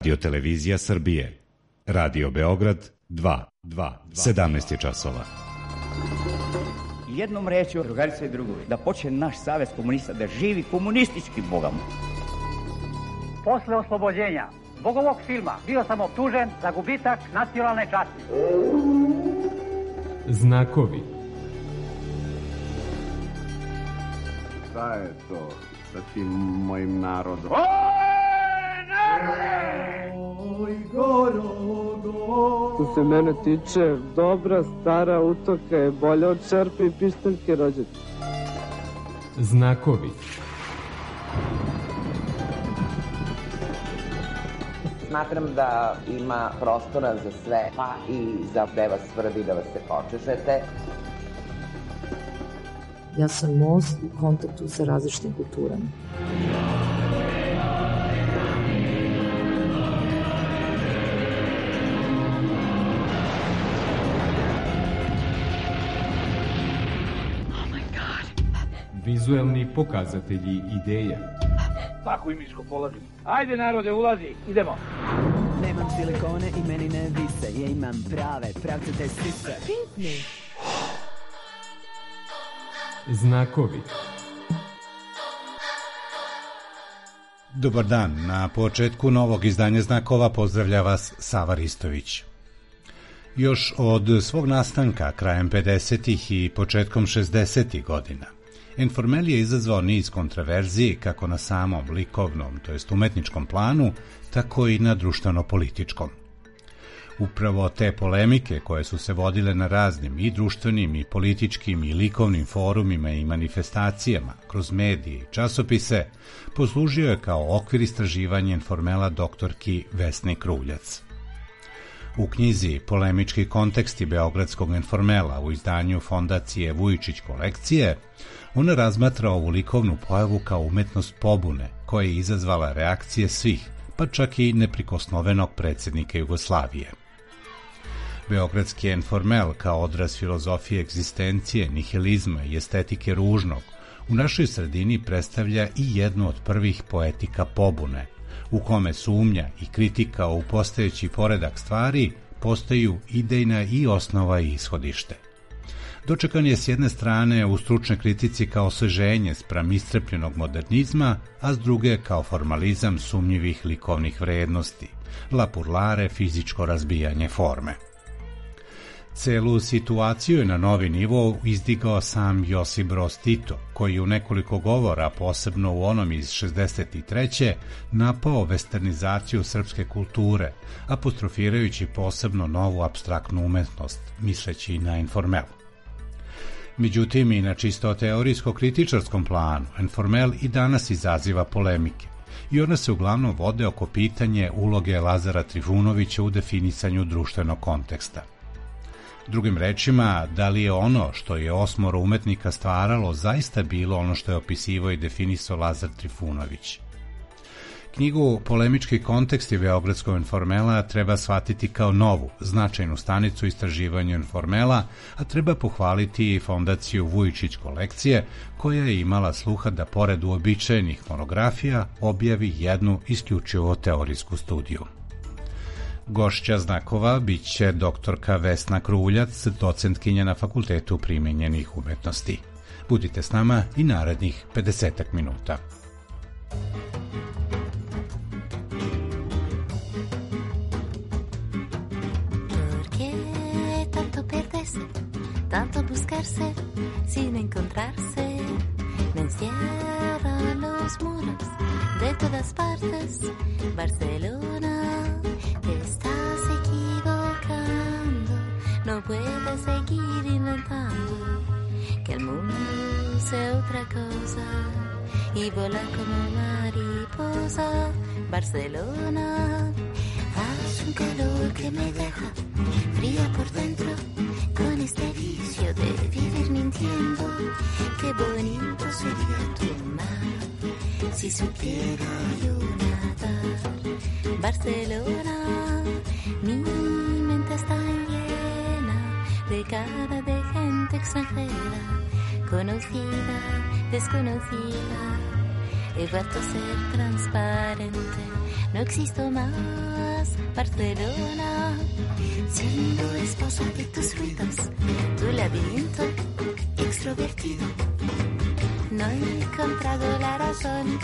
Radio Televizija Srbije. Radio Beograd 2. 17 je časova. Jednom rečju, drugarice i drugovi, da počne naš savez komunista, da živi komunistički Bogom. Posle oslobođenja zbog ovog filma bio sam optužen za gubitak nacionalne časti. Znakovi. Šta je to sa tim mojim narodom? Što se mene tiče, dobra stara utoka je bolja od čerpe i pištaljke rođaka. Znakovi. Smatram da ima prostora za sve, pa i za gde vas svrbi da vas se počešete. Ja sam most u kontaktu sa različitim kulturama. Vizuelni pokazatelji ideja. Tako i miško polazim. Ajde narode, ulazi, idemo. Nemam silikone i meni ne vise. Ja imam prave, pravcate sise. Pitni. Znakovi. Dobar dan, na početku novog izdanja Znakova pozdravlja vas Sava Ristović. Još od svog nastanka krajem 50. i početkom 60. godina, Informel je izazvao niz kontraverziji kako na samom likovnom, to jest umetničkom planu, tako i na društveno-političkom. Upravo te polemike koje su se vodile na raznim i društvenim i političkim i likovnim forumima i manifestacijama kroz medije i časopise poslužio je kao okvir istraživanja Informela doktorki Vesni Kruljac. U knjizi Polemički konteksti Beogradskog Informela u izdanju Fondacije Vujičić kolekcije, ona razmatra ovu likovnu pojavu kao umetnost pobune koja je izazvala reakcije svih, pa čak i neprikosnovenog predsjednika Jugoslavije. Beogradski Informel kao odraz filozofije egzistencije, nihilizma i estetike ružnog u našoj sredini predstavlja i jednu od prvih poetika pobune, u kome sumnja i kritika u postojeći poredak stvari postaju idejna i osnova i ishodište. Dočekan je s jedne strane u stručnoj kritici kao osveženje spram iscrpljenog modernizma, a s druge kao formalizam sumnjivih likovnih vrednosti, lapurlare, fizičko razbijanje forme. Celu situaciju je na novi nivo izdigao sam Josip Broz Tito, koji u nekoliko govora, posebno u onom iz 63. napao westernizaciju srpske kulture, apostrofirajući posebno novu apstraktnu umetnost, misleći na Informel. Međutim, i na čisto teorijsko-kritičarskom planu, Informel i danas izaziva polemike i one se uglavnom vode oko pitanje uloge Lazara Trifunovića u definisanju društvenog konteksta. Drugim rečima, da li je ono što je osmoro umetnika stvaralo zaista bilo ono što je opisivao i definisao Lazar Trifunović? Knjigu Polemički konteksti Beogradskog Informela treba shvatiti kao novu, značajnu stanicu istraživanja Informela, a treba pohvaliti i Fondaciju Vujičić kolekcije, koja je imala sluha da pored uobičajenih monografija objavi jednu isključivo teorijsku studiju. Gošća Znakova bit će doktorka Vesna Kruljac, docentkinja na Fakultetu primenjenih umetnosti. Budite s nama i narednih 50 minuta. Tanto buscarse sin encontrarse, me encierra los muros de todas partes. Barcelona, te estás equivocando, no puedes seguir inventando que el mundo sea otra cosa y volar como mariposa. Barcelona, hace un calor que me deja fría por dentro, con este vicio de vivir mintiendo. Qué bonito sería tu mar si supiera yo nadar. Barcelona, mi mente está llena de cara de gente extranjera, conocida, desconocida. He vuelto a ser transparente no existo más, Barcelona. Siendo esposa de tus ruidos, tu laberinto extrovertido. No he encontrado la razón,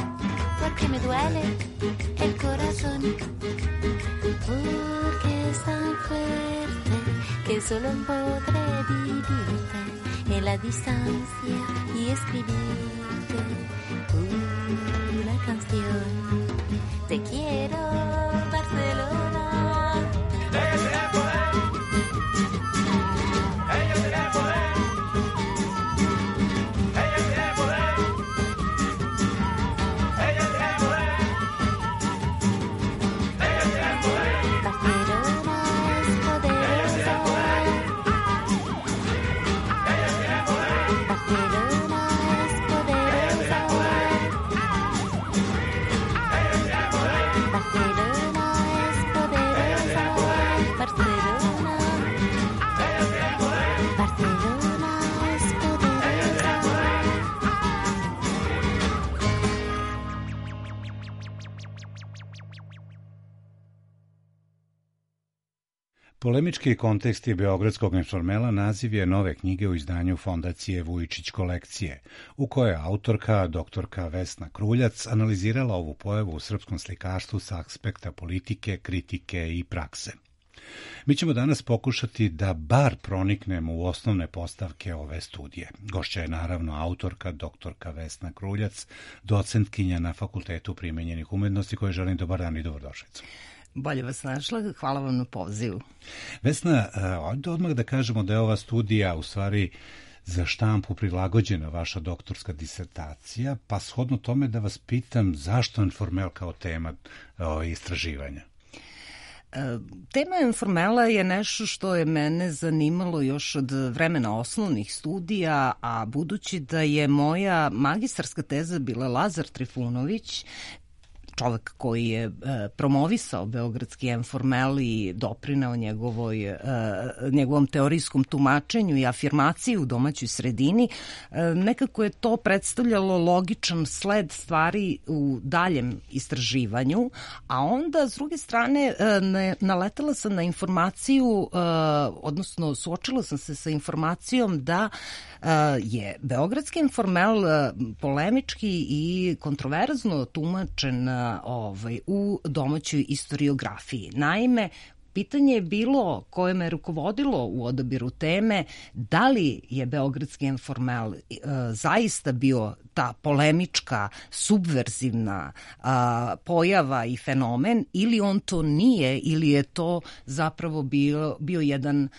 porque me duele el corazón. Porque es tan fuerte que solo podré vivirte en la distancia y escribirte una canción. Te quiero, Barcelona. Ella tiene poder. Ella tiene poder. Ella tiene poder. Ella tiene poder. Ella tiene poder. Barcelona es poderosa. Ella tiene poder. Barcelona es poderosa. Polemički kontekst je Beogradskog informela naziv je nove knjige u izdanju Fondacije Vujičić kolekcije, u kojoj je autorka, doktorka Vesna Kruljac, analizirala ovu pojavu u srpskom slikarstvu sa aspekta politike, kritike i prakse. Mi ćemo danas pokušati da bar proniknemo u osnovne postavke ove studije. Gošća je naravno autorka, doktorka Vesna Kruljac, docentkinja na Fakultetu primenjenih umetnosti, kojoj želim dobar dan i dobrodošlicu. Bolje vas našla, hvala vam na pozivu. Vesna, odmah da kažemo da je ova studija u stvari za štampu prilagođena vaša doktorska disertacija, pa shodno tome da vas pitam zašto informel kao tema istraživanja? Tema informela je nešto što je mene zanimalo još od vremena osnovnih studija, a budući da je moja magistarska teza bila Lazar Trifunović, čovek koji je promovisao beogradski informel i doprineo njegovom teorijskom tumačenju i afirmaciji u domaćoj sredini, nekako je to predstavljalo logičan sled stvari u daljem istraživanju, a onda s druge strane naletala sam na informaciju, odnosno suočila sam se sa informacijom da je beogradski informel polemički i kontroverzno tumačen u domaćoj istoriografiji. Naime, pitanje je bilo koje me rukovodilo u odabiru teme, da li je beogradski informel zaista bio ta polemička, subverzivna pojava i fenomen, ili on to nije, ili je to zapravo bio jedan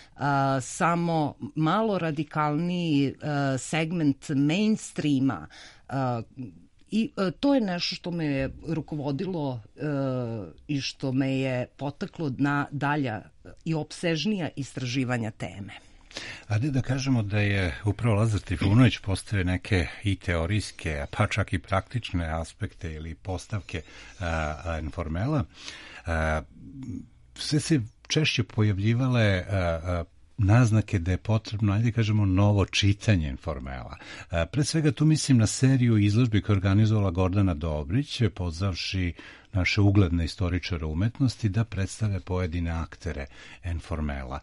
samo malo radikalniji segment mainstreama. I to je nešto što me je rukovodilo i što me je potaklo na dalja i opsežnija istraživanja teme. Ajde da kažemo da je upravo Lazar Trifunović postavio neke i teorijske, pa čak i praktične aspekte ili postavke informela. Sve se češće pojavljivale naznake da je potrebno, ajde kažemo, novo čitanje informela. Pre svega tu mislim na seriju izložbi koju je organizovala Gordana Dobrić, pozvavši naše ugledne istoričare umetnosti da predstave pojedine aktere informela.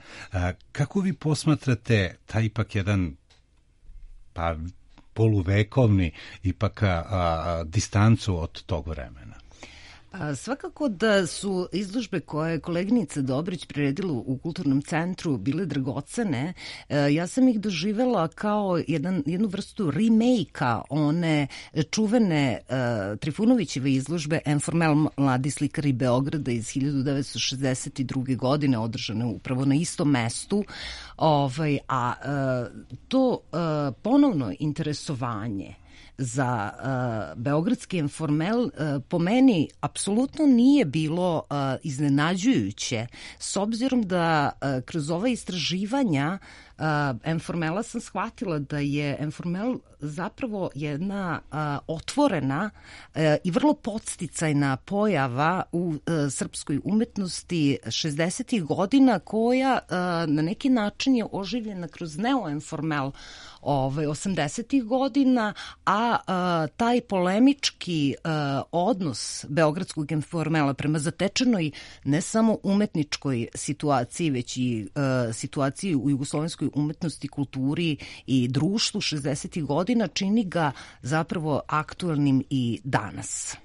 Kako vi posmatrate taj ipak jedan poluvekovni ipak distancu od tog vremena? Svakako da su izložbe koje je koleginica Dobrić priredila u Kulturnom centru bile dragocene. Ja sam ih doživela kao jednu vrstu remake-a one čuvene Trifunovićeve izložbe Informel mladi slikari Beograda iz 1962. godine, održane upravo na istom mestu. To ponovno interesovanje za beogradski informel po meni apsolutno nije bilo iznenađujuće, s obzirom da kroz ova istraživanja Informela sam shvatila da je Informel zapravo jedna otvorena i vrlo podsticajna pojava u srpskoj umetnosti 60. godina koja na neki način je oživljena kroz neo-informel 80. godina, a taj polemički odnos beogradskog informela prema zatečenoj ne samo umetničkoj situaciji, već i situaciji u jugoslovenskoj umetnosti, kulturi i društvu 60. godina čini ga zapravo aktuelnim i danas.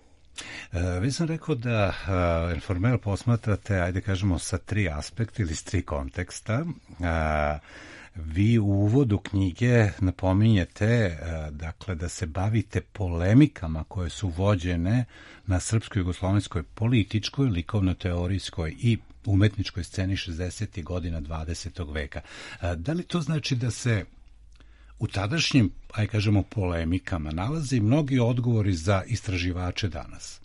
Vi sam rekao da Informel posmatrate, ajde kažemo, sa 3 aspekta ili s 3 konteksta. Vi u uvodu knjige napominjete dakle, da se bavite polemikama koje su vođene na srpsko-jugoslovenskoj političkoj, likovno-teorijskoj i umetničkoj sceni 60. godina 20. veka. Da li to znači da se u tadašnjim, ajde kažemo, polemikama nalaze mnogi odgovori za istraživače danas?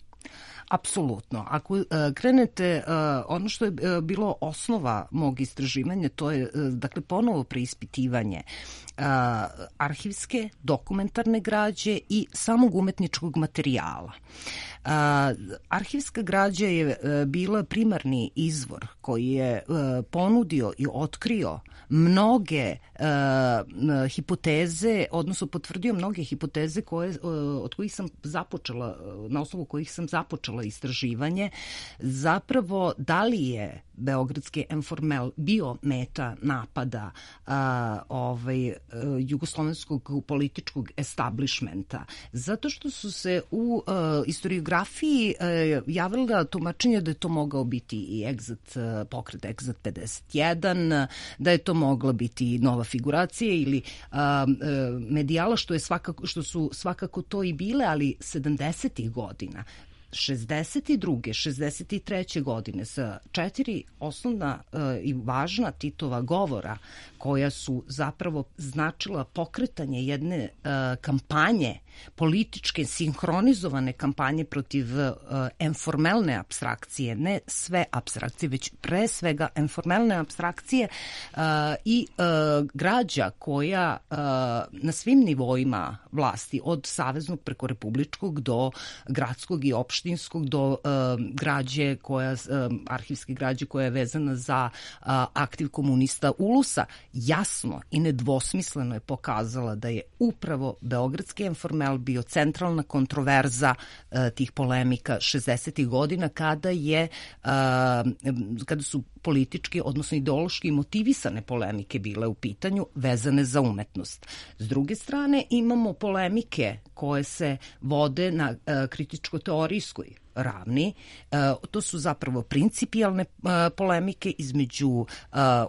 Apsolutno. Ako krenete, ono što je bilo osnova mog istraživanja, to je dakle ponovo preispitivanje arhivske, dokumentarne građe i samog umetničkog materijala. Arhivska građa je bila primarni izvor koji je ponudio i otkrio mnoge hipoteze, odnosno potvrdio mnoge hipoteze od kojih sam započela, na osnovu kojih sam započela istraživanje, zapravo da li je beogradski Informel bio meta napada jugoslovenskog političkog establishmenta, zato što su se u historiografiji javila tumačenje da je to mogao biti i pokret Exit 51, da je to mogla biti nova figuracija ili medijala, što su svakako to i bile, ali 70. godina. 62. 63. godine sa 4 osnovna i važna Titova govora koja su zapravo značila pokretanje jedne kampanje, političke, sinhronizovane kampanje protiv informelne apstrakcije, ne sve apstrakcije, već pre svega informelne apstrakcije i građa koja na svim nivoima vlasti, od saveznog preko republičkog do gradskog i opštinskog, do građe arhivske građe koja je vezana za aktiv komunista Ulusa, jasno i nedvosmisleno je pokazala da je upravo beogradski Informel bio centralna kontroverza tih polemika 60. godina kada su politički, odnosno ideološki motivisane polemike bile u pitanju vezane za umetnost. S druge strane imamo polemike koje se vode na kritičko-teorijskoj ravni. To su zapravo principijalne polemike između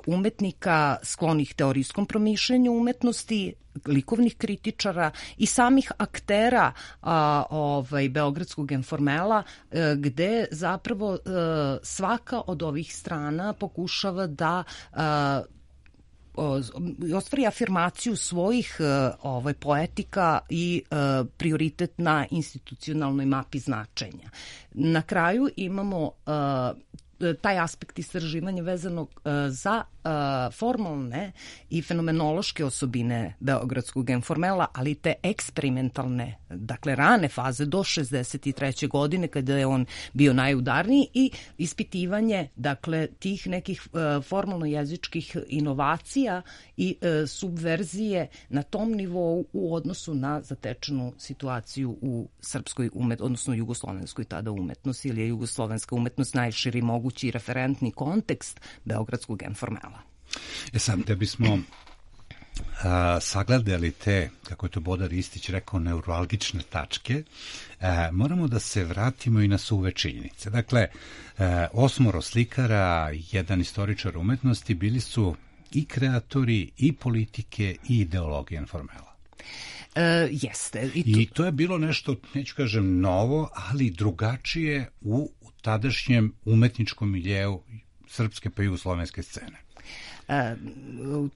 umetnika sklonih teorijskom promišljanju umetnosti, likovnih kritičara i samih aktera beogradskog Informela, gde zapravo svaka od ovih strana pokušava da ostvari afirmaciju svojih poetika i prioritet na institucionalnoj mapi značenja. Na kraju imamo taj aspekt istraživanja vezanog za formalne i fenomenološke osobine beogradskog Informela, ali te eksperimentalne, dakle rane faze do 63. godine kada je on bio najudarniji, i ispitivanje dakle tih nekih formalno-jezičkih inovacija i subverzije na tom nivou u odnosu na zatečenu situaciju u srpskoj odnosno jugoslovenskoj tada umetnosti, ili je jugoslovenska umetnost najširi mogući referentni kontekst beogradskog Informela. Sad, da bismo sagledali te, kako je to Bodar Ristić rekao, neuralgične tačke, moramo da se vratimo i na suve činjenice. Dakle, 8 slikara, jedan istoričar umetnosti bili su i kreatori, i politike, i ideologije Informela. Jeste. I to je bilo nešto, neću kažem novo, ali drugačije u tadašnjem umetničkom miljeu srpske pa jugoslovenske scene.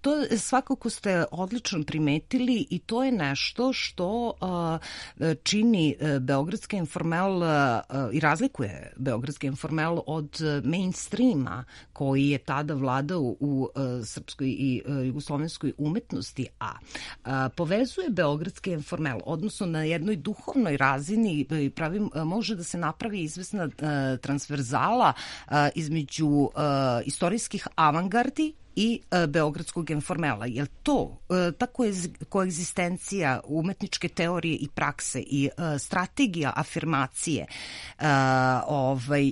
To svakako ste odlično primetili i to je nešto što čini Beogradski informel i razlikuje Beogradski informel od mainstreama koji je tada vladao u srpskoj i jugoslovenskoj umetnosti, a povezuje Beogradski informel, odnosno na jednoj duhovnoj razini može da se napravi izvesna transverzala između istorijskih avangardi i Beogradskog informela. Jer ta koegzistencija umetničke teorije i prakse i strategija afirmacije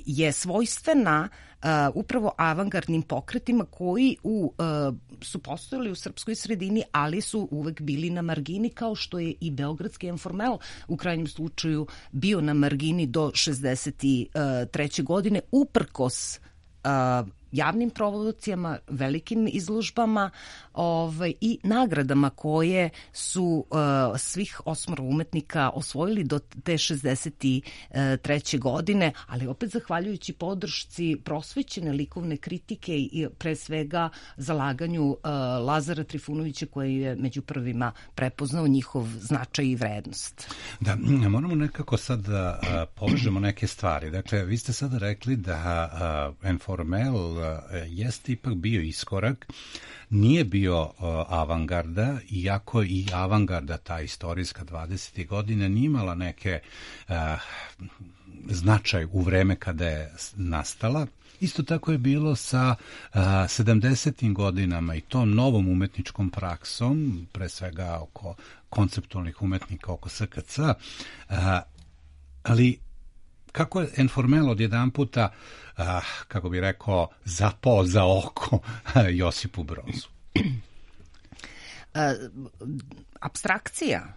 je svojstvena upravo avangardnim pokretima koji su postojali u srpskoj sredini, ali su uvek bili na margini, kao što je i Beogradski informel u krajnjem slučaju bio na margini do 1963. godine, uprkos javnim promocijama, velikim izložbama i nagradama koje su svih 8 umetnika osvojili do te 1963. godine, ali opet zahvaljujući podršci prosvećene likovne kritike i pre svega zalaganju Lazara Trifunovića, koji je među prvima prepoznao njihov značaj i vrednost. Da, moramo nekako sad da povežemo neke stvari. Dakle, vi ste sada rekli da informel jeste ipak bio iskorak, nije bio avangarda, iako i avangarda, ta istorijska 20. godina, nije imala neke značaj u vreme kada je nastala. Isto tako je bilo sa 70. godinama i tom novom umetničkom praksom, pre svega oko konceptualnih umetnika, oko SKC, ali kako je informel odjedan puta, kako bi rekao, zapao za oko Josipu Brozu? Abstrakcija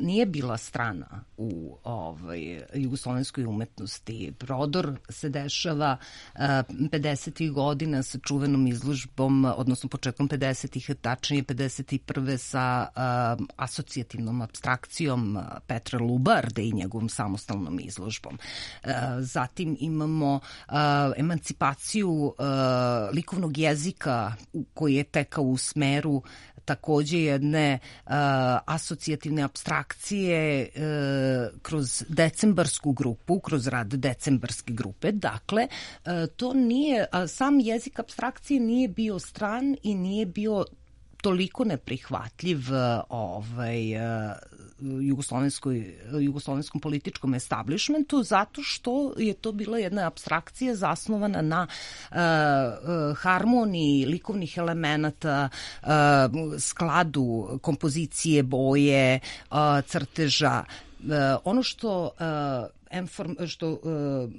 nije bila strana u jugoslovenskoj umetnosti. Prodor se dešava 50. godina sa čuvenom izložbom, odnosno početkom 50. tačnije 51. sa asocijativnom abstrakcijom Petra Lubarde i njegovom samostalnom izložbom. Zatim imamo emancipaciju likovnog jezika koji je tekao u smeru takođe jedne asocijativne abstrakcije kroz decembarsku grupu, kroz rad decembarske grupe. Dakle, to nije, sam jezik abstrakcije nije bio stran i nije bio toliko neprihvatljiv jugoslovenskom političkom establishmentu, zato što je to bila jedna apstrakcija zasnovana na harmoniji likovnih elemenata, skladu kompozicije, boje, crteža. Ono što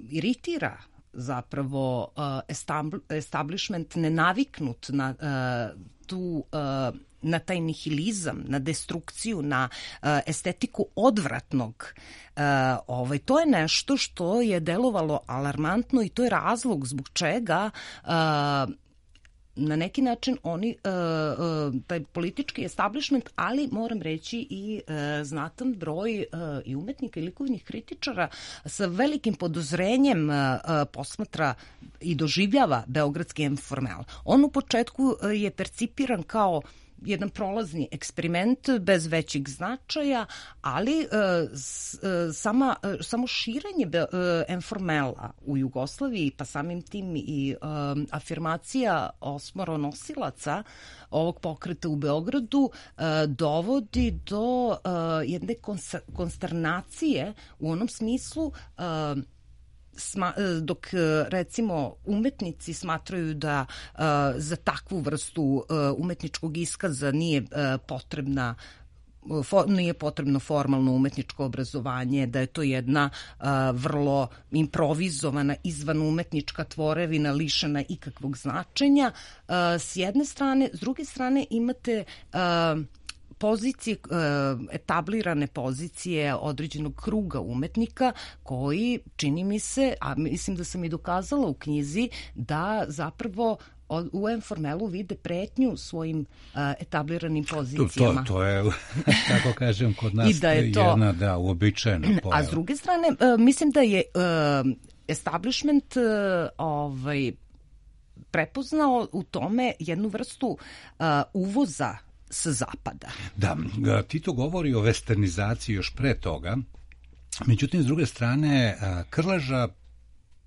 iritira zapravo establishment nenaviknut na na taj nihilizam, na destrukciju, na estetiku odvratnog. To je nešto što je delovalo alarmantno i to je razlog zbog čega na neki način oni, taj politički establishment, ali moram reći i znatan broj i umetnika i likovnih kritičara sa velikim podozrenjem posmatra i doživljava Beogradski informel. On u početku je percipiran kao jedan prolazni eksperiment bez većeg značaja, ali samo širenje informela u Jugoslaviji, pa samim tim i afirmacija osmoronosilaca ovog pokreta u Beogradu dovodi do jedne konsternacije u onom smislu dok recimo umetnici smatraju da za takvu vrstu umetničkog iskaza nije potrebno formalno umetničko obrazovanje, da je to jedna vrlo improvizovana izvan umetnička tvorevina lišena ikakvog značenja s jedne strane. S druge strane imate pozicije, etablirane pozicije određenog kruga umetnika koji, čini mi se, a mislim da sam i dokazala u knjizi, da zapravo u informelu vide pretnju svojim etabliranim pozicijama. To je, tako kažem, kod nas da je to jedna uobičajena pojava. A s druge strane, mislim da je establishment prepoznao u tome jednu vrstu uvoza sa zapada. Da, Tito govori o westernizaciji još pre toga, međutim, s druge strane, Krleža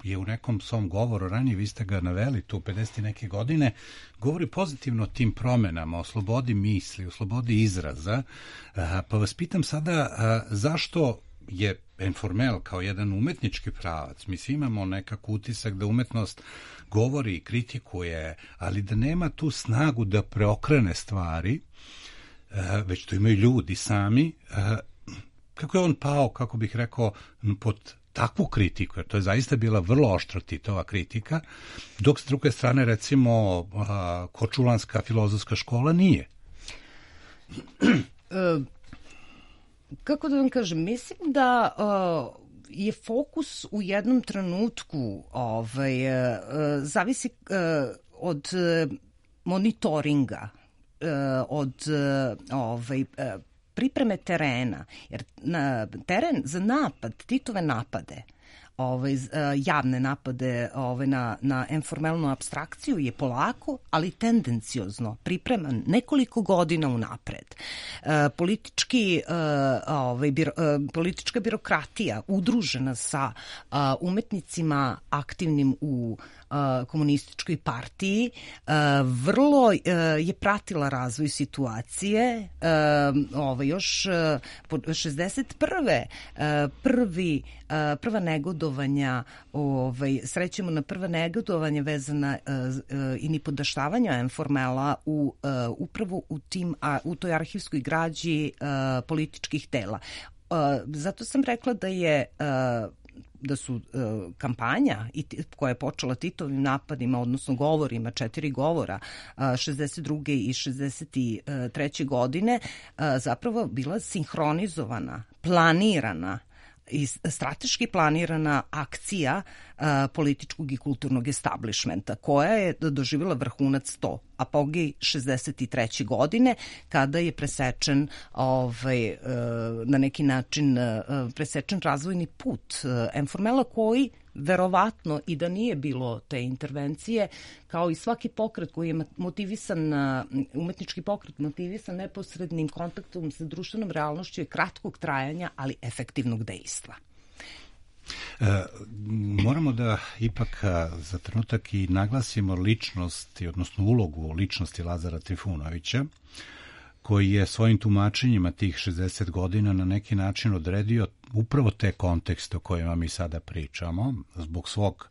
je u nekom svom govoru, ranije vi ste ga naveli, tu 50 neke godine, govori pozitivno o tim promenama, o slobodi misli, o slobodi izraza, pa vas pitam sada zašto je informel kao jedan umetnički pravac, mi svi imamo nekako utisak da umetnost govori i kritikuje, ali da nema tu snagu da preokrene stvari, već to imaju ljudi sami, kako je on pao, kako bih rekao, pod takvu kritiku, jer to je zaista bila vrlo oštra Titova kritika, dok s druge strane, recimo, Korčulanska filozofska škola nije. Kako da vam kažem, mislim da je fokus u jednom trenutku zavisi od monitoringa, od pripreme terena, jer teren za napad, Titove napade, javne napade na informalnu apstrakciju je polako, ali tendenciozno pripreman nekoliko godina unapred. Politička birokratija udružena sa umetnicima aktivnim u komunističkoj partiji vrlo je pratila razvoj situacije. Još pod 61. Prva negodovanja, srećemo na prva negodovanja vezana i nipodaštavanja informela upravo u toj arhivskoj građi političkih tela. Zato sam rekla da su kampanja koja je počela Titovim napadima, odnosno govorima, 4 govora 62. i 63. godine zapravo bila sinhronizovana, planirana i strateški planirana akcija političkog i kulturnog establishmenta, koja je doživjela vrhunac apogej 63. godine, kada je presečen na neki način presečen razvojni put informela, koji verovatno i da nije bilo te intervencije, kao i svaki pokret koji je motivisan, umetnički pokret motivisan neposrednim kontaktom sa društvenom realnošću, je kratkog trajanja, ali efektivnog dejstva. Moramo da ipak za trenutak i naglasimo ličnost, odnosno ulogu ličnosti Lazara Trifunovića, koji je svojim tumačenjima tih 60 godina na neki način odredio upravo te kontekste o kojima mi sada pričamo, zbog svog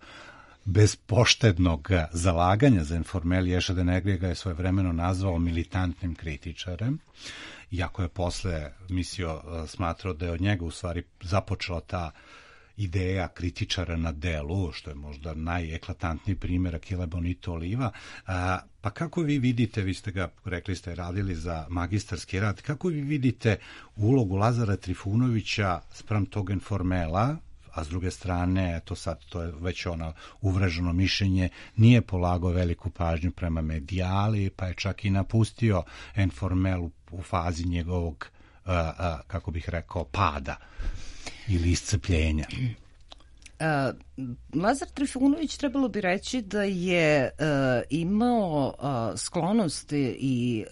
bezpoštednog zalaganja za informel. Ješa de Negri ga je svojevremeno nazvao militantnim kritičarem, iako je posle smatrao da je od njega u stvari započela ta ideja kritičara na delu, što je možda najeklatantniji primjer Achille Bonito Oliva. Pa kako vi vidite, vi ste ga, rekli ste, radili za magistarski rad, kako vi vidite ulogu Lazara Trifunovića spram tog informela, a s druge strane, to je već uvreženo mišljenje, nije polagao veliku pažnju prema medijali, pa je čak i napustio informel u fazi njegovog, kako bih rekao, pada ili iscrpljenja. Lazar Trifunović, trebalo bi reći da je imao sklonost i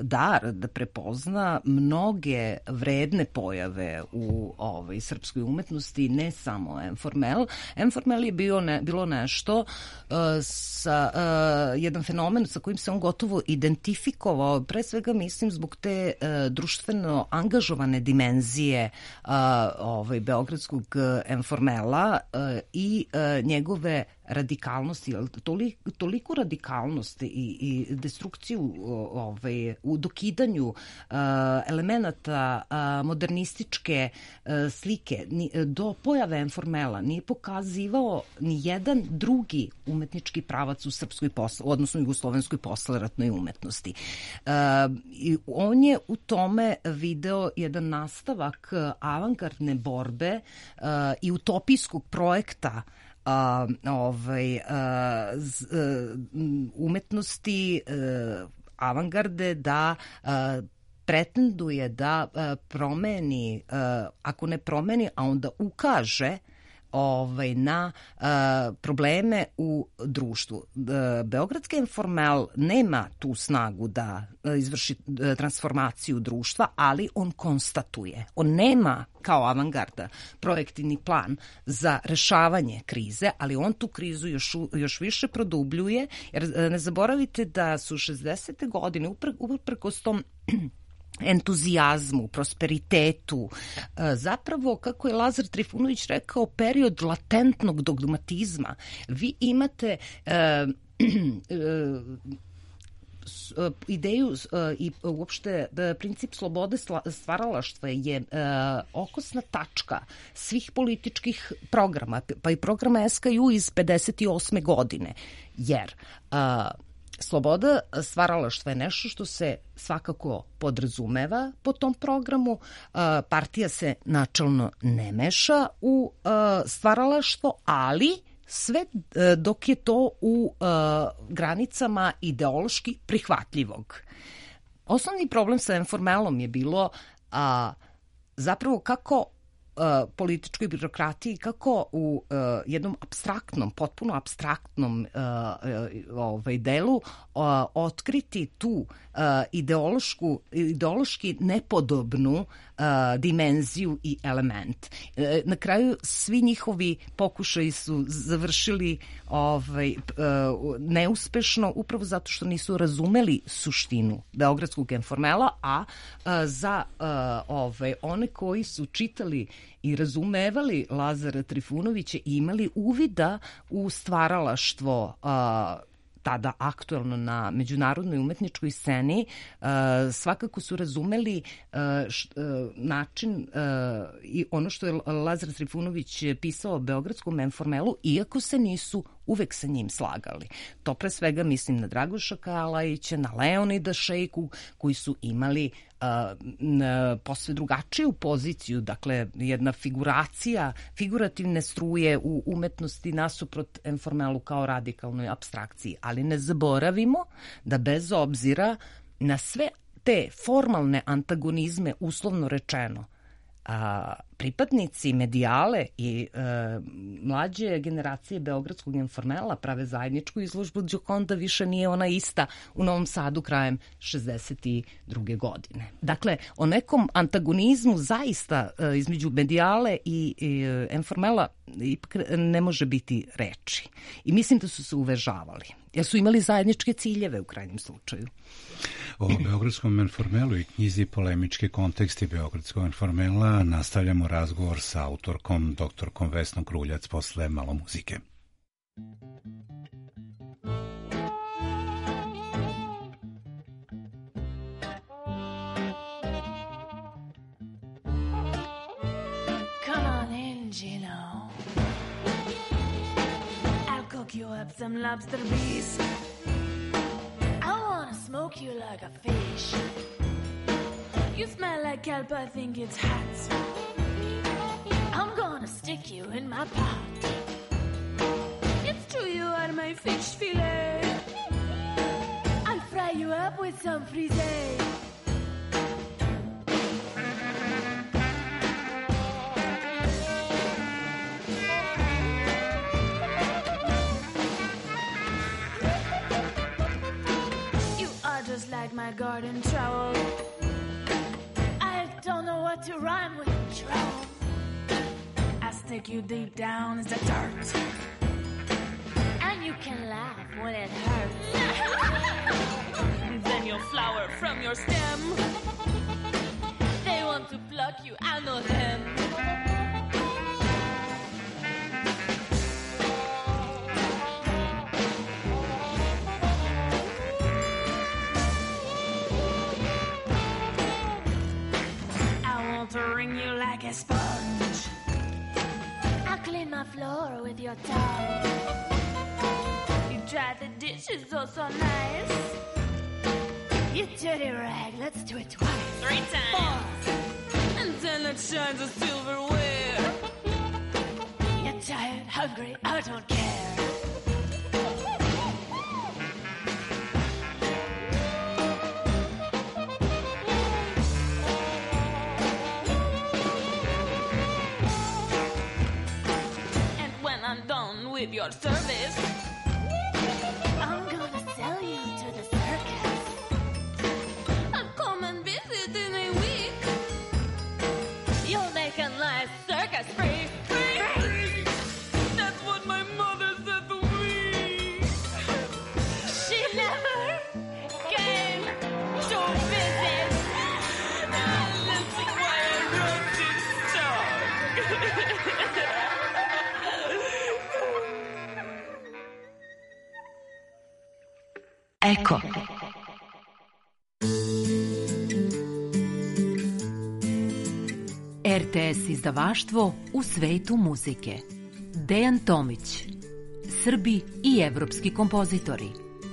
dar da prepozna mnoge vredne pojave u srpskoj umetnosti, ne samo informel. Informel je bilo nešto, jedan fenomen sa kojim se on gotovo identifikovao, pre svega mislim zbog te društveno angažovane dimenzije beogradskog informela i njegove radikalnosti, toliko radikalnosti i destrukciju u dokidanju elemenata modernističke slike do pojave informela nije pokazivao ni jedan drugi umetnički pravac u srpskoj odnosno jugoslovenskoj posleratnoj umetnosti. On je u tome video jedan nastavak avangardne borbe i utopijskog projekta umetnosti avangarde, da pretenduje da promeni, ako ne promeni, a onda ukaže na probleme u društvu. Beogradski informel nema tu snagu da izvrši transformaciju društva, ali on konstatuje. On nema kao avangarda projektivni plan za rešavanje krize, ali on tu krizu još više produbljuje, jer ne zaboravite da su 60. godine uprkos tom entuzijazmu, prosperitetu, zapravo, kako je Lazar Trifunović rekao, period latentnog dogmatizma. Vi imate ideju i uopšte princip slobode stvaralaštva je okosna tačka svih političkih programa, pa i programa SKU iz 58. godine, jer sloboda stvaralaštva je nešto što se svakako podrazumeva po tom programu. Partija se načelno ne meša u stvaralaštvo, ali sve dok je to u granicama ideološki prihvatljivog. Osnovni problem sa informelom je bilo zapravo kako političkoj birokratiji, kako u jednom apstraktnom, potpuno apstraktnom delu otkriti tu ideološki nepodobnu dimenziju i element. Na kraju svi njihovi pokušaji su završili neuspešno upravo zato što nisu razumeli suštinu beogradskog informela, a za one koji su čitali i razumevali Lazara Trifunovića i imali uvida u stvaralaštvo tada aktuelno na međunarodnoj umetničkoj sceni, svakako su razumeli način i ono što je Lazar Trifunović pisao o beogradskom informelu, iako se nisu uvek sa njim slagali. To pre svega mislim na Dragoša Kalajića, na Leonida Šejku, koji su imali posve drugačiju poziciju, dakle jedna figurativne struje u umetnosti nasuprot informelu kao radikalnoj apstrakciji. Ali ne zaboravimo da bez obzira na sve te formalne antagonizme, uslovno rečeno, pripadnici medijale i mlađe generacije beogradskog informela prave zajedničku izložbu Gioconda više nije ona ista u Novom Sadu krajem 62. godine. Dakle, o nekom antagonizmu zaista između medijale i informela ipak ne može biti reči. I mislim da su se uvežavali, jer su imali zajedničke ciljeve u krajnjem slučaju. O beogradskom informelu i knjizi Polemički konteksti beogradskog informela nastavljamo razgovor sa autorkom, doktorkom Vesnom Kruljac, posle malo muzike. Come on in, Gino. I'll cook you up some lobster beef. Smoke you like a fish. You smell like kelp, I think it's hot. I'm gonna stick you in my pot. It's true you are my fish fillet. I'll fry you up with some frisee. Just like my garden trowel. I don't know what to rhyme with trowel. I stick you deep down in the dirt, and you can laugh when it hurts. Then you'll flower from your stem. They want to pluck you, I know them. To wring you like a sponge. I'll clean my floor with your tongue. You dry the dishes oh so nice. You dirty rag, let's do it twice. 3 times. 4. And then it shines a silverware. You're tired, hungry, I don't care. with your service. I'm gonna sell you to the circus. I'll come and visit in a week. You'll make a nice circus free. That's what my mother said to me. She never came to visit. That's why I wrote this song. Eko. RTS izdavaštvo u svetu muzike. Dejan Tomić. Srbi i evropski kompozitori.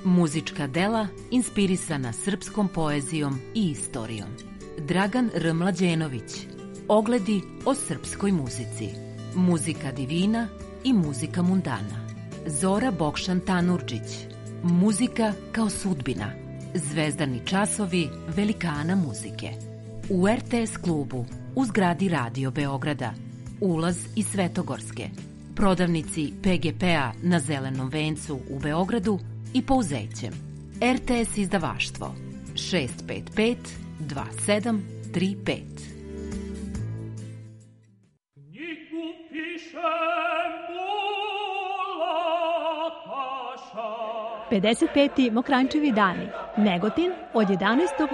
Muzička dela inspirisana srpskom poezijom i istorijom. Dragan R. Mlađenović. Ogledi o srpskoj muzici. Muzika divina i muzika mundana. Zora Bokšan Tanurđić. Muzika kao sudbina. Zvezdani časovi velikana muzike. U RTS klubu u zgradi Radio Beograda. Ulaz iz Svetogorske. Prodavnici PGP-a na Zelenom vencu u Beogradu i Pouzećem. RTS izdavaštvo 655 2735. 55. Mokrančevi dani. Negotin od 11.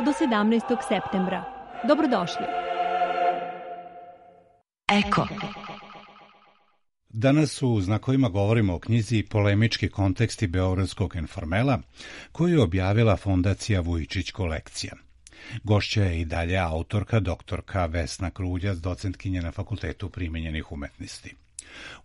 do 17. septembra. Dobrodošli. Eko. Danas u Znakovima govorimo o knjizi Polemički konteksti Beogradskog informela, koju je objavila Fondacija Vujičić kolekcija. Gošća je i dalje autorka, doktorka Vesna Kruljac, docentkinja na Fakultetu primenjenih umetnosti.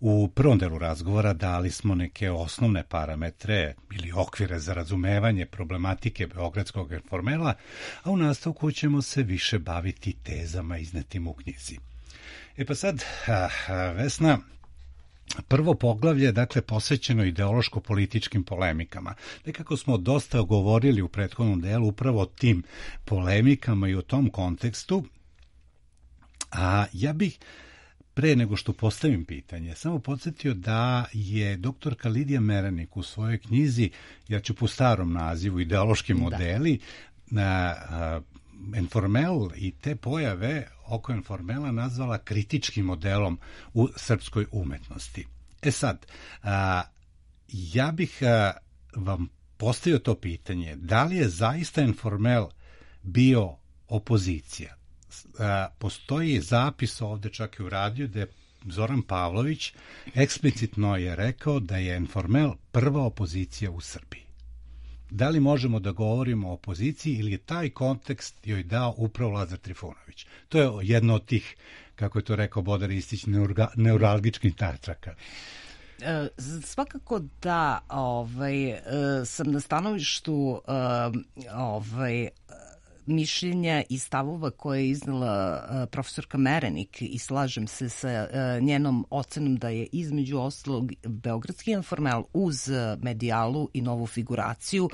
U prvom delu razgovora dali smo neke osnovne parametre ili okvire za razumevanje problematike Beogradskog informela, a u nastavku ćemo se više baviti tezama iznetim u knjizi. Pa sad, Vesna, prvo poglavlje, dakle, posvećeno ideološko-političkim polemikama. Nekako smo dosta govorili u prethodnom delu upravo o tim polemikama i o tom kontekstu, a ja bih pre nego što postavim pitanje, samo podsjetio da je doktorka Lidija Merenik u svojoj knjizi, ja ću po starom nazivu, Ideološki modeli, na informel i te pojave oko informela nazvala kritičkim modelom u srpskoj umetnosti. Sad, ja bih vam postavio to pitanje, da li je zaista informel bio opozicija? Postoji zapis ovde čak i u radiju da je Zoran Pavlović eksplicitno je rekao da je informel prva opozicija u Srbiji. Da li možemo da govorimo o opoziciji ili je taj kontekst joj dao upravo Lazar Trifunović? To je jedno od tih, kako je to rekao Bodar Ristić, neuralgičkih tačaka. Svakako da sam na stanovištu mišljenja i stavova koje je iznala profesorka Merenik i slažem se sa njenom ocenom da je između ostalog Beogradski informel uz medijalu i novu figuraciju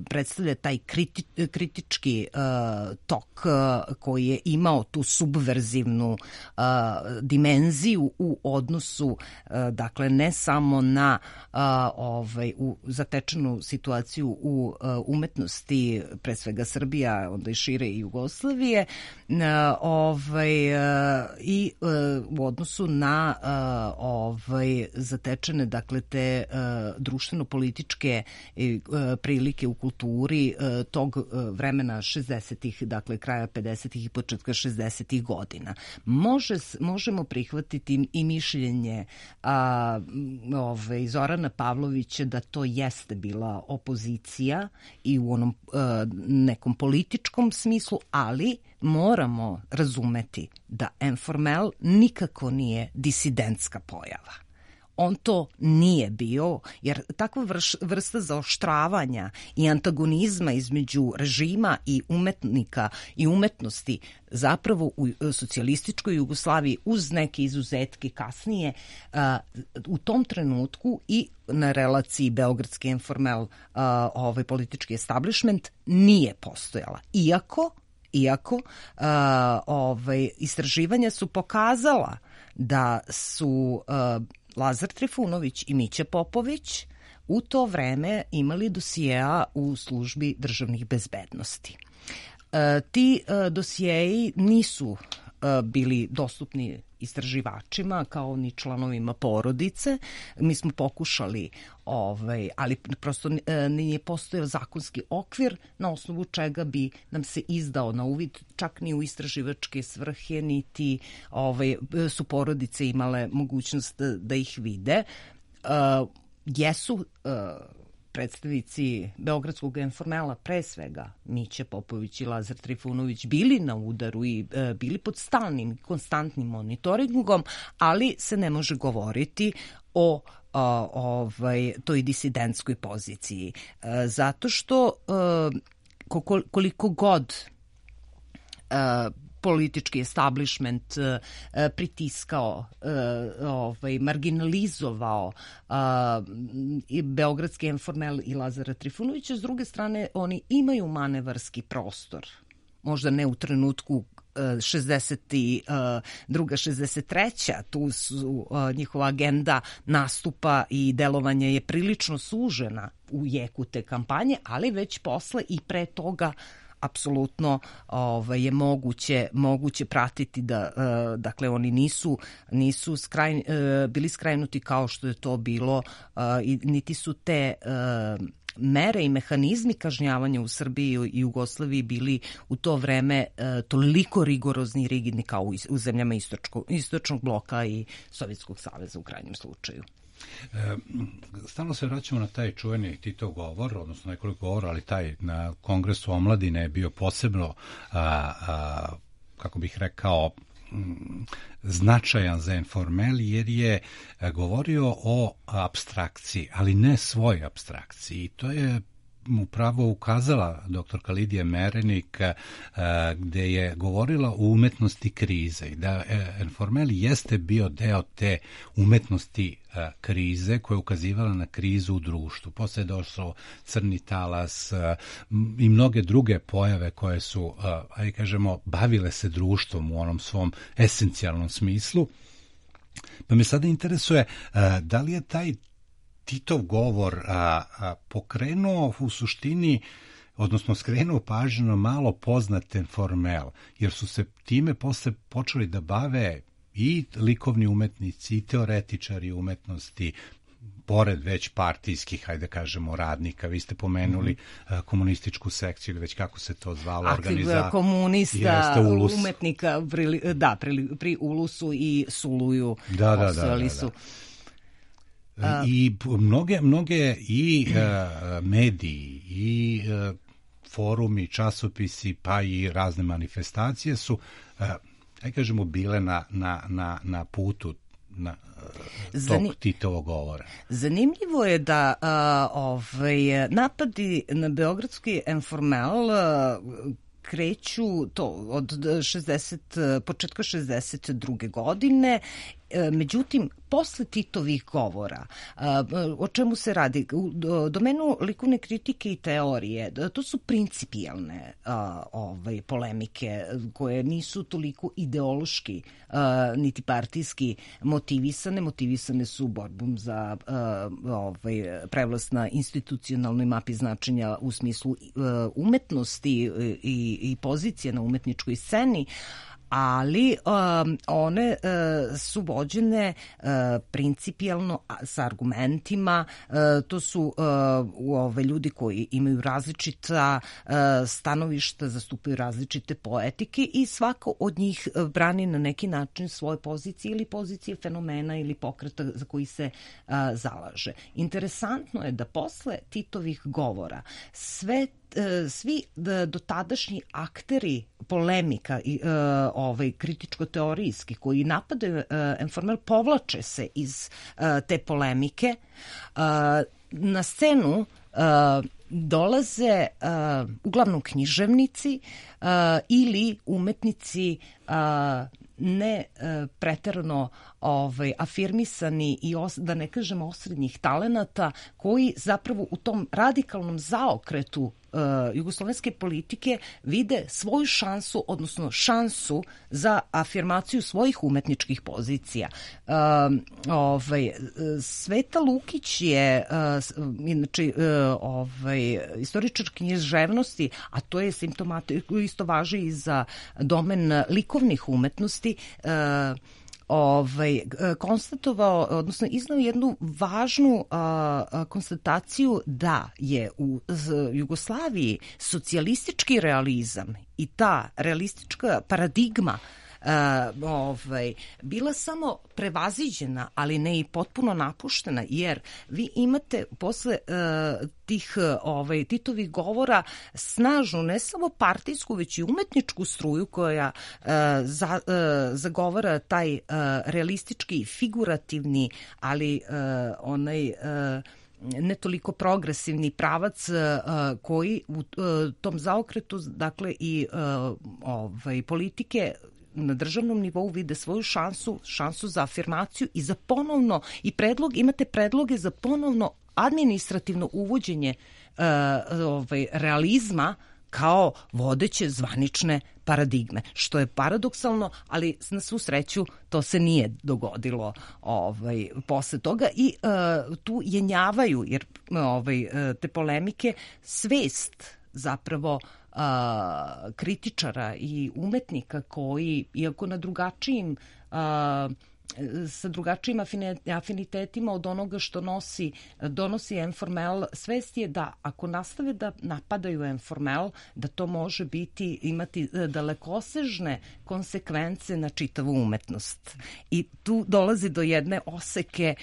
predstavlja taj kritički tok koji je imao tu subverzivnu dimenziju u odnosu, dakle, ne samo na zatečenu situaciju u umetnosti, pre svega Srbija, onda i šire i Jugoslavije, i u odnosu na zatečene, dakle, te društveno-političke prilike u kulturi tog vremena 60-ih, dakle, kraja 50-ih i početka 60-ih godina. Možemo prihvatiti i mišljenje Zorana Pavlovića da to jeste bila opozicija i u onom nekom političkom smislu, ali moramo razumeti da informel nikako nije disidentska pojava. On to nije bio, jer takva vrsta zaoštravanja i antagonizma između režima i umetnika i umetnosti zapravo u socijalističkoj Jugoslaviji uz neke izuzetke kasnije u tom trenutku i na relaciji Beogradski informel, politički establishment nije postojala. Iako istraživanja su pokazala da su Lazar Trifunović i Mića Popović u to vreme imali dosijeja u službi državnih bezbednosti. Ti dosijeji nisu bili dostupni istraživačima kao ni članovima porodice. Mi smo pokušali, ali prosto nije postojao zakonski okvir na osnovu čega bi nam se izdao na uvid, čak ni u istraživačke svrhe, niti su porodice imale mogućnost da ih vide. Jesu predstavnici Beogradskog informela, pre svega Mića Popović i Lazar Trifunović, bili na udaru i bili pod stalnim, konstantnim monitoringom, ali se ne može govoriti o toj disidentskoj poziciji. Zato što koliko god politički establishment pritiskao, marginalizovao i Beogradski informel i Lazara Trifunovića, s druge strane oni imaju manevarski prostor. Možda ne u trenutku 62. 63. Tu su njihova agenda nastupa i delovanja je prilično sužena u jeku te kampanje, ali već posle i pre toga apsolutno je moguće pratiti da dakle oni nisu bili skrajnuti kao što je to bilo, niti su te mere i mehanizmi kažnjavanja u Srbiji i Jugoslaviji bili u to vreme toliko rigorozni i rigidni kao u zemljama istočnog bloka i Sovjetskog saveza u krajnjem slučaju. Stalno se vraćamo na taj čuveni Titov govor, odnosno nekoliko govora, ali taj na Kongresu omladine je bio posebno, kako bih rekao, značajan za informel, jer je govorio o apstrakciji, ali ne svoj apstrakciji. I to je upravo ukazala doktorka Lidija Merenik, gde je govorila o umetnosti krize i da informel jeste bio deo te umetnosti krize koja je ukazivala na krizu u društvu. Posle je došlo crni talas i mnoge druge pojave koje su, ajde kažemo, bavile se društvom u onom svom esencijalnom smislu. Pa me sada interesuje da li je taj Titov govor pokrenuo u suštini, odnosno skrenuo pažnju na malo poznat informel, jer su se time posle počeli da bave i likovni umetnici i teoretičari umetnosti, pored već partijskih, hajde kažemo, radnika. Vi ste pomenuli komunističku sekciju ili već kako se to zvalo, organizacija komunista, umetnika pri Ulusu i Suluju. Da. I mnoge i mediji i forumi, časopisi, pa i razne manifestacije su, aj kažemo, bile na putu tog Titovog govora. Zanimljivo je da napadi na Beogradski informel kreću od početka 62. godine. Međutim, posle Titovih govora, o čemu se radi? U domenu likovne kritike i teorije, to su principijelne polemike koje nisu toliko ideološki niti partijski motivisane su borbom za prevlast na institucionalnoj mapi značenja u smislu umetnosti i pozicije na umetničkoj sceni, ali one su vođene principijelno sa argumentima. To su ljudi koji imaju različita stanovišta, zastupaju različite poetike i svako od njih brani na neki način svoje pozicije ili pozicije fenomena ili pokreta za koji se zalaže. Interesantno je da posle Titovih govora svi dotadašnji akteri polemika i kritičko-teorijski koji napadaju informel povlače se iz te polemike. Na scenu dolaze uglavnom književnici ili umetnici ne preterano afirmisani i da ne kažem osrednjih talenata koji zapravo u tom radikalnom zaokretu jugoslovenske politike vide svoju šansu, odnosno šansu za afirmaciju svojih umetničkih pozicija. Sveta Lukić je inače istoričar književnosti, a to je simptomatično, isto važi i za domen likovnih umetnosti, konstatovao, odnosno iznao jednu važnu konstataciju da je u Jugoslaviji socijalistički realizam i ta realistička paradigma bila samo prevaziđena, ali ne i potpuno napuštena, jer vi imate posle tih Titovih govora snažnu, ne samo partijsku, već i umetničku struju koja zagovara taj realistički, figurativni, ali onaj ne toliko progresivni pravac koji u tom zaokretu, dakle i politike na državnom nivou vide svoju šansu za afirmaciju i za ponovno, imate predloge za ponovno administrativno uvođenje realizma kao vodeće zvanične paradigme, što je paradoksalno, ali na svu sreću to se nije dogodilo posle toga i tu jenjavaju, jer te polemike, svest zapravo kritičara i umetnika koji, iako na drugačijim sa drugačijim afinitetima od onoga što donosi Enformel, svest je da ako nastave da napadaju Enformel, da to može imati dalekosežne konsekvence na čitavu umetnost. I tu dolazi do jedne oseke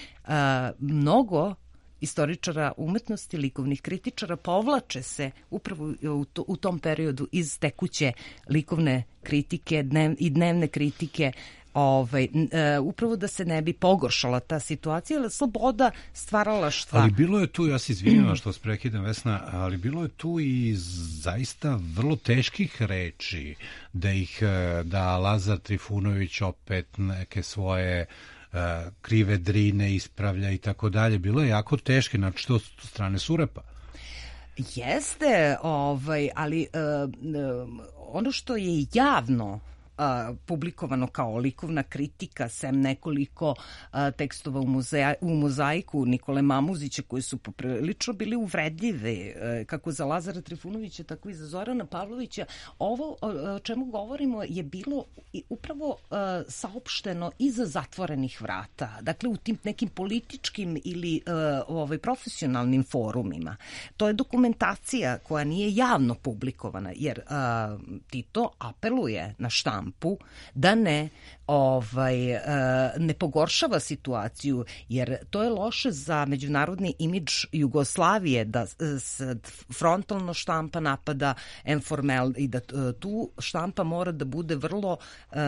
mnogo istoričara umetnosti, likovnih kritičara povlače se upravo u tom periodu iz tekuće likovne kritike i dnevne kritike, upravo da se ne bi pogoršala ta situacija, ali sloboda stvaralaštva. Ali bilo je tu, ja se izvinjam što vas prekidam, Vesna, ali bilo je tu i zaista vrlo teških reči da Lazar Trifunović opet neke svoje krive drine ispravlja i tako dalje. Bilo je jako teške, znači to strane Surepa. Jeste, ali ono što je javno publikovano kao likovna kritika, sem nekoliko tekstova u mozaiku Nikole Mamuzića koji su poprilično bili uvredljive, kako za Lazara Trifunovića, tako i za Zorana Pavlovića. Ovo o čemu govorimo je bilo upravo saopšteno iza zatvorenih vrata, dakle u tim nekim političkim ili profesionalnim forumima. To je dokumentacija koja nije javno publikovana, jer Tito apeluje na štampu da ne pogoršava situaciju, jer to je loše za međunarodni imidž Jugoslavije da frontalno štampa napada Enformel i da tu štampa mora da bude vrlo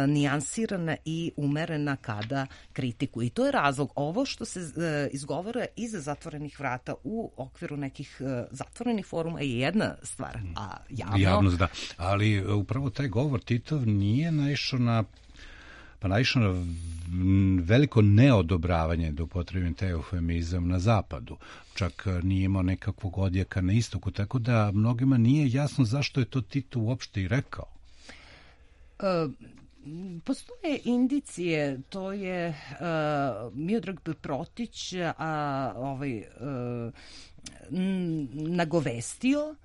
nijansirana i umerena kada kritikuje. I to je razlog. Ovo što se izgovara iza zatvorenih vrata u okviru nekih zatvorenih foruma je jedna stvar, a javnost, da. Ali upravo taj govor Titov nije naišao na veliko neodobravanje, da upotrebim taj eufemizam, na zapadu. Čak nije imao nekakvog odjeka na istoku, tako da mnogima nije jasno zašto je to Tito uopšte i rekao. Postoje indicije, to je Miodrag Protić nagovestio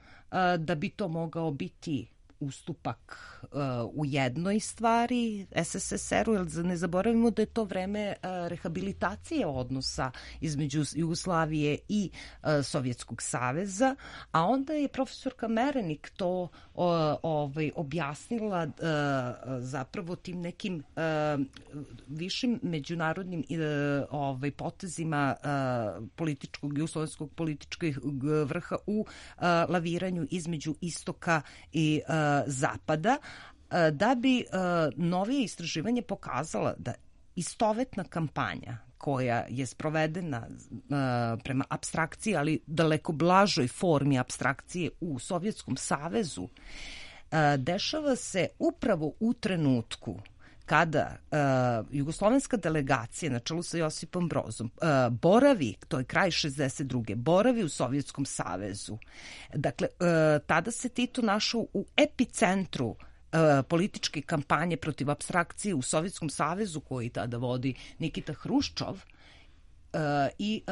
da bi to mogao biti ustupak u jednoj stvari SSSR-u, jer ne zaboravimo da je to vreme rehabilitacije odnosa između Jugoslavije i Sovjetskog saveza, a onda je profesorka Merenik to objasnila zapravo tim nekim višim međunarodnim potezima jugoslovenskog političkog vrha u laviranju između istoka i zapada, da bi novije istraživanje pokazala da istovetna kampanja koja je sprovedena prema apstrakciji, ali daleko blažoj formi apstrakcije u Sovjetskom savezu, dešava se upravo u trenutku kada jugoslovenska delegacija na čelu sa Josipom Brozom boravi, to je kraj 62. boravi u Sovjetskom savezu. Dakle, tada se Tito našao u epicentru političke kampanje protiv apstrakcije u Sovjetskom savezu koji tada vodi Nikita Hruščov i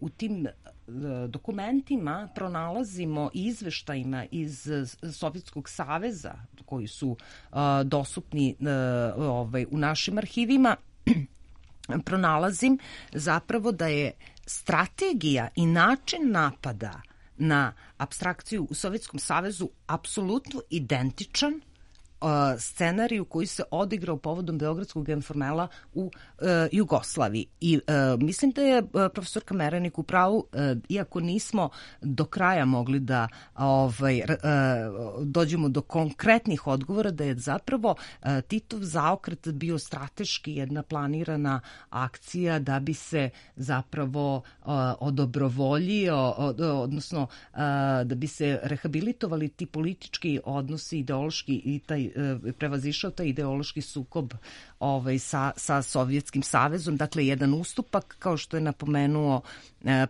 u tim dokumentima pronalazimo i izveštajima iz Sovjetskog saveza koji su dostupni u našim arhivima. Pronalazim zapravo da je strategija i način napada na apstrakciju u Sovjetskom savezu apsolutno identičan scenariju koji se odigrao povodom Beogradskog informela u Jugoslaviji. I mislim da je profesorka Merenik u pravu, iako nismo do kraja mogli da dođemo do konkretnih odgovora, da je zapravo Titov zaokret bio strateški jedna planirana akcija da bi se zapravo odobrovoljio, odnosno da bi se rehabilitovali ti politički odnosi, ideološki i taj prevazišao taj ideološki sukob sa Sovjetskim savezom. Dakle, jedan ustupak, kao što je napomenuo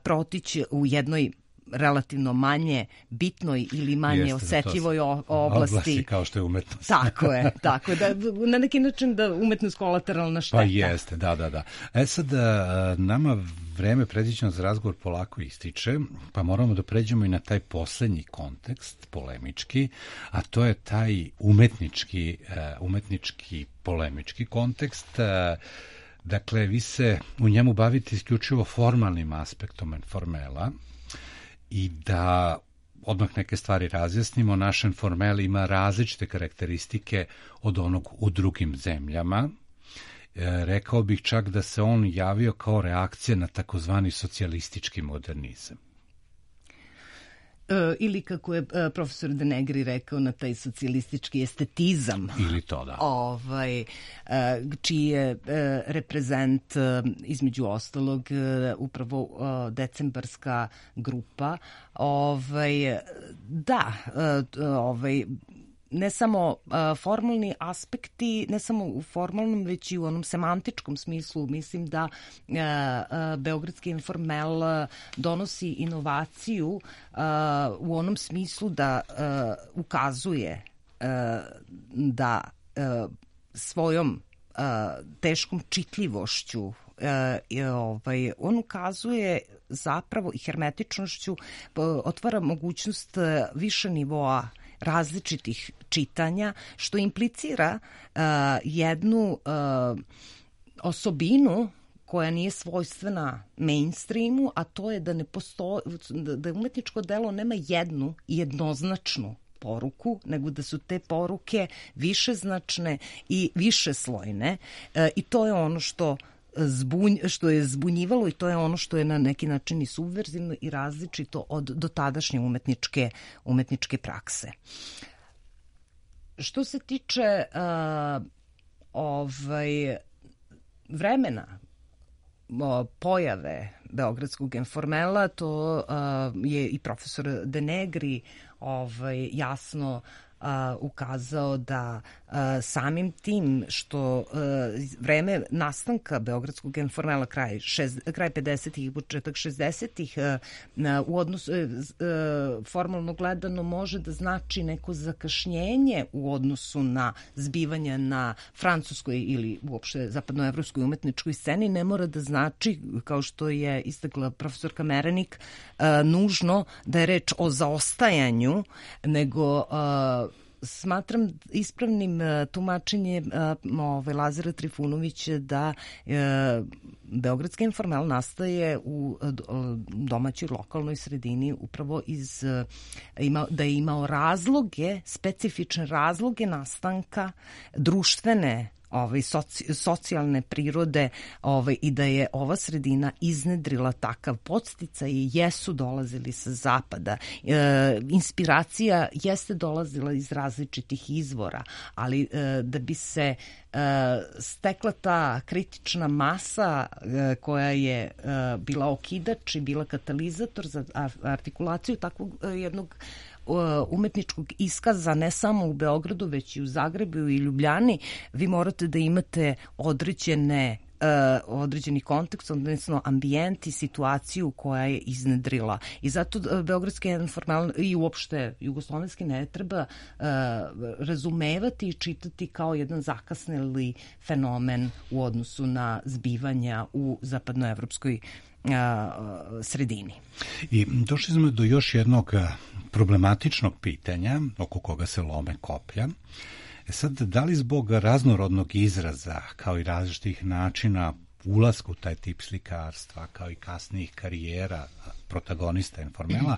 Protić, u jednoj relativno manje bitnoj ili manje osetljivoj oblasti kao što je umetnost. Tako je, da na neki način da umetnost kolateralna šteta. Pa jeste, da. Sad, nama vreme predviđeno za razgovor polako ističe, pa moramo da pređemo i na taj poslednji kontekst, polemički, a to je taj umetnički polemički kontekst. Dakle, vi se u njemu bavite isključivo formalnim aspektom informela, i da odmah neke stvari razjasnimo, naš informel ima različite karakteristike od onog u drugim zemljama. Rekao bih čak da se on javio kao reakcija na takozvani socijalistički modernizam. Ili kako je profesor De Negri rekao, na taj socijalistički estetizam. Ili to, da. Čiji je reprezent, između ostalog, upravo decembarska grupa. Ne samo formalni aspekti, ne samo u formalnom, već i u onom semantičkom smislu. Mislim da Beogradski informel donosi inovaciju u onom smislu da ukazuje da svojom teškom čitljivošću on ukazuje zapravo i hermetičnošću, otvara mogućnost više nivoa različitih čitanja, što implicira jednu osobinu koja nije svojstvena mainstreamu, a to je da ne postoji, da umetničko delo nema jednu jednoznačnu poruku, nego da su te poruke višeznačne i višeslojne, i to je ono što je zbunjivalo i to je ono što je na neki način i subverzivno i različito od dotadašnje umetničke prakse. Što se tiče vremena pojave Beogradskog informela, to je i profesor De Negri jasno ukazao da samim tim što vreme nastanka Beogradskog informela kraj 50-ih i početak 60-ih u odnosu formalno gledano može da znači neko zakašnjenje u odnosu na zbivanja na francuskoj ili uopšte zapadnoevropskoj umetničkoj sceni, ne mora da znači, kao što je istakla profesorka Merenik, nužno da je reč o zaostajanju, nego smatram ispravnim tumačenje Lazara Trifunovića da Beogradski informel nastaje u domaćoj lokalnoj sredini upravo da je imao razloge, specifične razloge nastanka društvene socijalne prirode i da je ova sredina iznedrila takav podsticaj i jesu dolazili sa zapada. Inspiracija jeste dolazila iz različitih izvora, ali da bi se stekla ta kritična masa koja je bila okidač i bila katalizator za artikulaciju takvog jednog umetničkog iskaza ne samo u Beogradu, već i u Zagrebu i Ljubljani, vi morate da imate određeni kontekst, odnosno ambijent i situaciju koja je iznedrila. I zato beogradski informal i uopšte jugoslovenski ne treba razumevati i čitati kao jedan zakasneli fenomen u odnosu na zbivanja u zapadnoevropskoj sredini. I došli smo do još jednog problematičnog pitanja oko koga se lome koplja. Sad, da li zbog raznorodnog izraza, kao i različitih načina ulasku u taj tip slikarstva, kao i kasnijih karijera protagonista informela,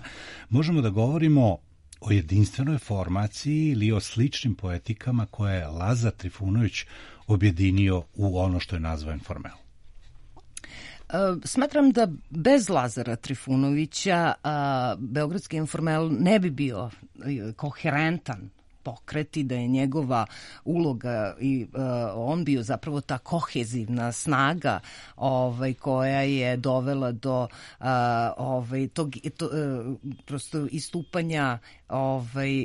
možemo da govorimo o jedinstvenoj formaciji ili o sličnim poetikama koje je Lazar Trifunović objedinio u ono što je nazvao informel? Smatram da bez Lazara Trifunovića beogradski informel ne bi bio koherentan pokret i da je njegova uloga i on bio zapravo ta kohezivna snaga koja je dovela do tog prosto istupanja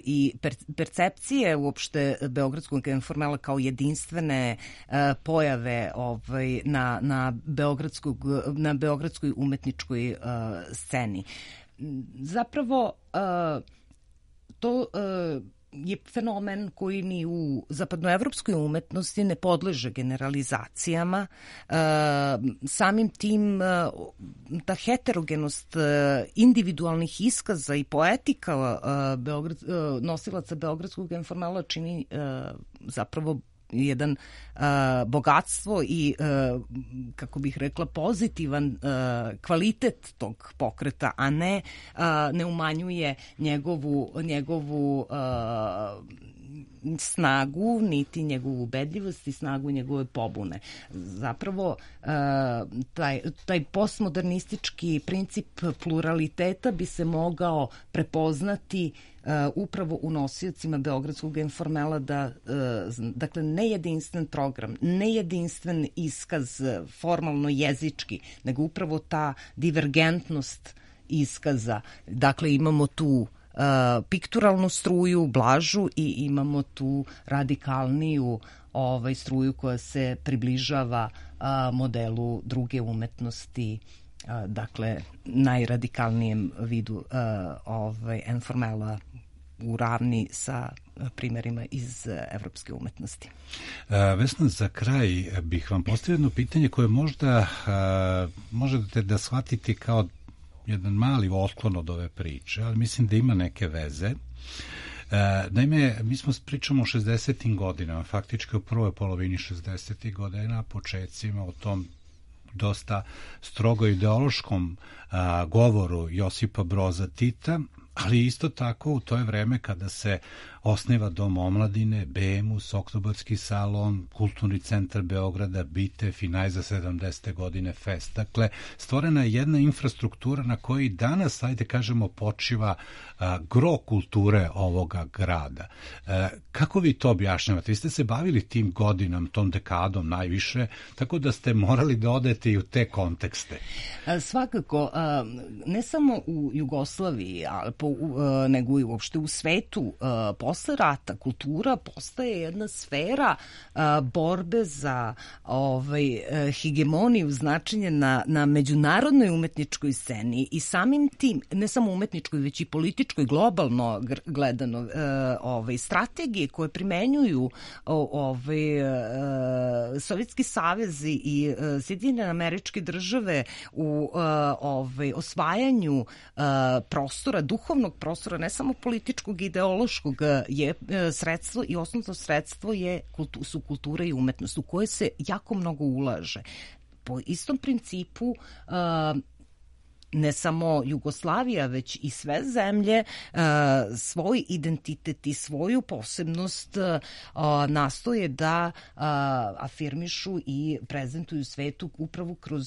i percepcije uopšte beogradskog informela kao jedinstvene pojave na beogradskoj umetničkoj sceni. Zapravo to je fenomen koji ni u zapadnoevropskoj umetnosti ne podleže generalizacijama. Samim tim ta heterogenost individualnih iskaza i poetika nosilaca beogradskog informela čini zapravo jedan bogatstvo i, kako bih rekla, pozitivan kvalitet tog pokreta, a ne umanjuje njegovu snagu, niti njegovu ubedljivost i snagu njegove pobune. Zapravo, taj postmodernistički princip pluraliteta bi se mogao prepoznati upravo u nosiocima beogradskog informela dakle, ne jedinstven program, ne jedinstven iskaz formalno jezički, nego upravo ta divergentnost iskaza. Dakle, imamo tu pikturalnu struju, blažu, i imamo tu radikalniju struju koja se približava modelu druge umetnosti, dakle najradikalnijem vidu informela u ravni sa primjerima iz evropske umetnosti. Vesna, za kraj bih vam postavio jedno pitanje koje možda možete da shvatite kao jedan mali otklon od ove priče, ali mislim da ima neke veze. Naime, mi pričamo o 60. godinama, faktički u prvoj polovini 60. godina, početcima o tom dosta strogo ideološkom govoru Josipa Broza Tita, ali isto tako to je vreme kada se osniva Dom omladine, BEMUS, Oktobarski salon, Kulturni centar Beograda, Bitev i najza 70. godine Fest. Dakle, stvorena je jedna infrastruktura na kojoj danas, ajde kažemo, počiva gro kulture ovoga grada. Kako vi to objašnjavate? Vi ste se bavili tim godinama, tom dekadom najviše, tako da ste morali da odete i u te kontekste. Svakako, ne samo u Jugoslaviji, nego i uopšte u svetu, posle rata kultura postaje jedna sfera borbe za hegemoniju, značenje na međunarodnoj umetničkoj sceni i samim tim, ne samo umetničkoj, već i političkoj, globalno gledano, strategije koje primenjuju Sovjetski savez i Sjedinjene Američke Države u osvajanju prostora, duhovnog prostora, ne samo političkog, ideološkog, je sredstvo i osnovno sredstvo su kultura i umetnost u koje se jako mnogo ulaže. Po istom principu ne samo Jugoslavija, već i sve zemlje svoj identitet i svoju posebnost nastoje da afirmišu i prezentuju svetu upravo kroz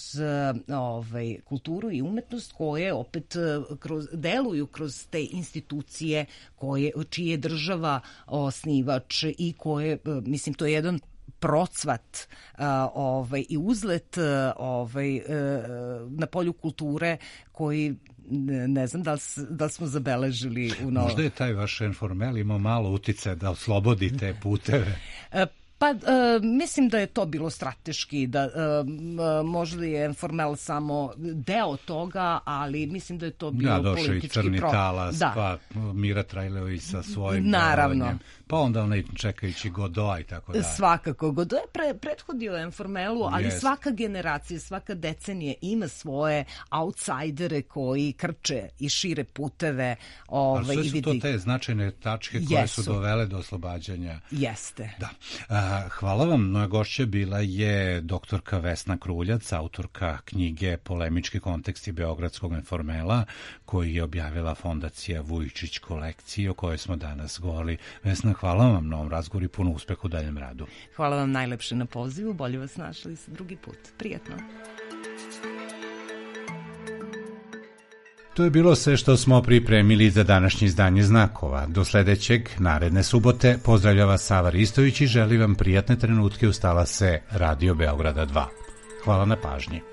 kulturu i umetnost koje opet deluju kroz te institucije čije je država osnivač i koje, mislim, to je jedan procvat i uzlet na polju kulture koji ne znam da li smo zabeležili u novom. Možda je taj vaš informel imao malo uticaja da oslobodi te puteve. Pa mislim da je to bilo strateški, da možda je informel samo deo toga, ali mislim da je to bilo politički. Došao i Crni talas, pa Mira Trajleović sa svojim naravno. Pa onda onaj čekajući Godoa i tako dalje. Svakako, Godo je prethodio informelu, ali svaka generacija, svaka decenija ima svoje outsidere koji krče i šire puteve. Ali sve su to te značajne tačke koje su dovele do oslobađanja. Jeste. Da. Hvala vam. Moja gošća bila je doktorka Vesna Kruljac, autorka knjige Polemički konteksti beogradskog informela, koji je objavila Fondacija Vujčić kolekcije, o kojoj smo danas govorili. Vesna, hvala vam na ovom razgovoru i puno uspeha u daljem radu. Hvala vam najlepše na pozivu, bolje vas našli drugi put. Prijatno. To je bilo sve što smo pripremili za današnje izdanje Znakova. Do sledećeg, naredne subote, pozdravlja vas Sava Ristović i želi vam prijatne trenutke uz talase Radio Beograda 2. Hvala na pažnji.